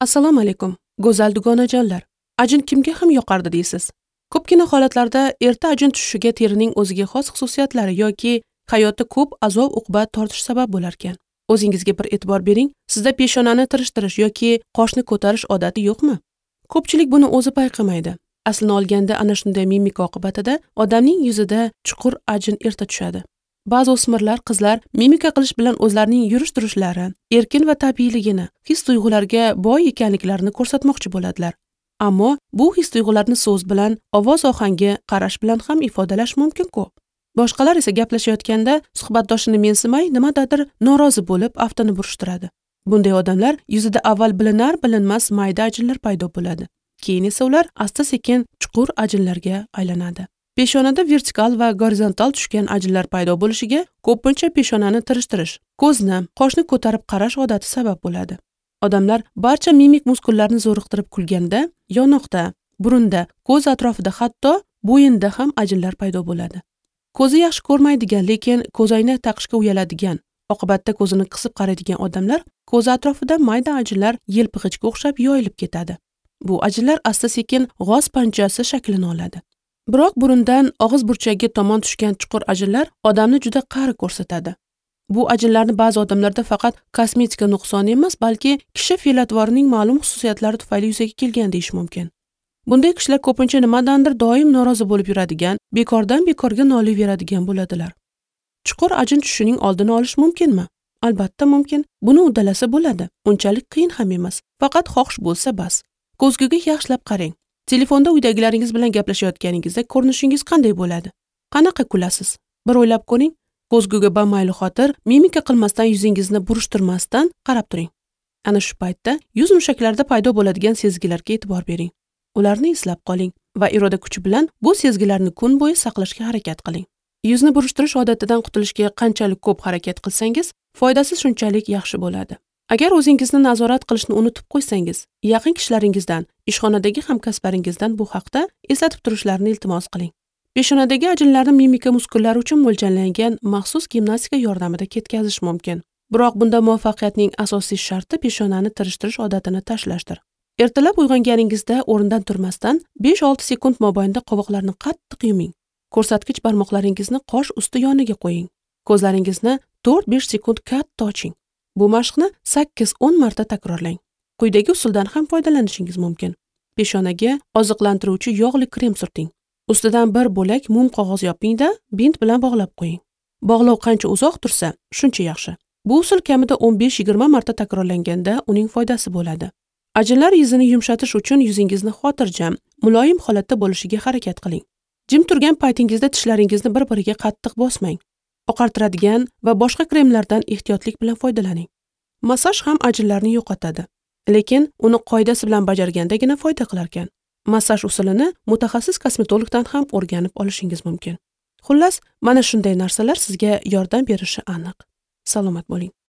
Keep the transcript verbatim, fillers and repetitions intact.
Assalomu alaykum, go'zal dugonajonlar. Ajin kimga ham yoqardi deysiz? Ko'pgina holatlarda erta ajin tushishiga terining o'ziga xos xususiyatlari yoki hayotda ko'p azob-uqbat tortish sabab bo'lar ekan. O'zingizga bir e'tibor bering, sizda peshonani tirishtirish yoki qoshni ko'tarish odati yo'qmi? Ko'pchilik buni o'zi payqamaydi. Aslini olganda ana shunday mimika oqibatida odamning yuzida chuqur ajin erta tushadi. Ba'zi o'smirlar, qizlar mimika qilish bilan o'zlarining yurish-turishlari, erkin va tabiiyligini, his-tuyg'ularga boy ekanliklarini ko'rsatmoqchi bo'ladilar. Ammo bu his-tuyg'ularni so'z bilan, ovoz ohangi, qarash bilan ham ifodalash mumkin-ku. Boshqalar esa gaplashayotganda suhbatdoshini mensimay, nimadadir norozi bo'lib, aftini burishtiradi. Bunday odamlar yuzida avval bilinar-bilinmas mayda ajinlar paydo bo'ladi. Keyin esa ular asta-sekin chuqur ajinlarga aylanadi. Peshonada vertikal va gorizontal tushgan ajinlar paydo bo'lishiga ko'pincha peshonani tirishtirish, ko'zni, qoshni ko'tarib qarash odati sabab bo'ladi. Odamlar barcha mimik muskullarni zo'riqtirib kulganda, yonoqda, burunda, ko'z atrofida, hatto bo'yinda ham ajinlar paydo bo'ladi. Ko'zi yaxshi ko'rmaydigan, lekin ko'zoynak taqishga uyaladigan, oqibatda ko'zini qisib qaraydigan odamlar ko'zi atrofida mayda ajinlar yelpig'ichga o'xshab yoyilib ketadi. Bu ajinlar asta-sekin g'oz panjasi shaklini oladi. Biroq burundan og'iz burchagiga tomon tushgan chuqur ajinlar odamni juda qari ko'rsatadi. Bu ajinlarni ba'zi odamlarda faqat kosmetika nuqsoni emas, balki kishi fe'l-atvorining ma'lum xususiyatlari tufayli yuzaga kelgan deyish mumkin. Bunday kishilar ko'pincha nimadandir doim norozi bo'lib yuradigan, bekordan bekorga noliyveradigan bo'ladilar. Chuqur ajin tushishining oldini olish mumkinmi? Albatta mumkin. Buni uddalasa bo'ladi. Unchalik qiyin ham emas. Faqat xohish bo'lsa bas. Ko'zguga yaxshilab qarang. Telefonda uydagilaringiz bilan gaplashayotganingizda ko'rinishingiz qanday bo'ladi? Qanaqa kulasiz? Bir o'ylab ko'ring. Ko'zguga bamaylixotir xotir, mimika qilmasdan, yuzingizni burishtirmasdan qarab turing. Ana shu paytda yuz mushaklarida paydo bo'ladigan sezgilarga e'tibor bering. Ularni eslab qoling va iroda kuchi bilan bu sezgilarni kun bo'yi saqlashga harakat qiling. Yuzni burishtirish odatidan qutulishga qanchalik ko'p harakat qilsangiz, foydasi shunchalik yaxshi bo'ladi. Agar o'zingizni nazorat qilishni unutib qo'ysangiz, yaqin kishilaringizdan, ishxonadagi hamkasblaringizdan bu haqda eslatib turishlarini iltimos qiling. Peshonadagi ajinlarni mimika muskullari uchun mo'ljallangan maxsus gimnastika yordamida ketkazish mumkin. Biroq bunda muvaffaqiyatning asosiy sharti peshonani tirishtirish odatini tashlashdir. Ertalab uyg'onganingizda o'rindan turmasdan besh olti sekund mobaynida qovoqlarni qattiq yuming. Ko'rsatkich barmoqlaringizni qosh usti yoniga qo'ying. Ko'zlaringizni to'rt besh sekund katta oching. Bu mashqni sakkiz o'n marta takrorlang. Quyidagi usuldan ham foydalanishingiz mumkin. Peshonaga oziqlantiruvchi yog'li krem surting. Ustidan bir bo'lak mum qog'oz yopingda bint bilan bog'lab qo'ying. Bog'lov qancha uzoq tursa, shuncha yaxshi. Bu usul kamida o'n besh yigirma marta takrorlanganda uning foydasi bo'ladi. Ajinlar yuzini yumshatish uchun yuzingizni xotirjam, muloyim holatda bo'lishiga harakat qiling. Jim turgan paytingizda tishlaringizni bir-biriga qattiq bosmang. Oqartiradigan va boshqa kremlardan ehtiyotlik bilan foydalaning. Massaj ham ajinlarni yo'qotadi, lekin uni qoidasi bilan bajargandagina foyda qilar ekan. Massaj usulini mutaxassis kosmetologdan ham o'rganib olishingiz mumkin. Xullas, mana shunday narsalar sizga yordam berishi aniq. Salomat bo'ling.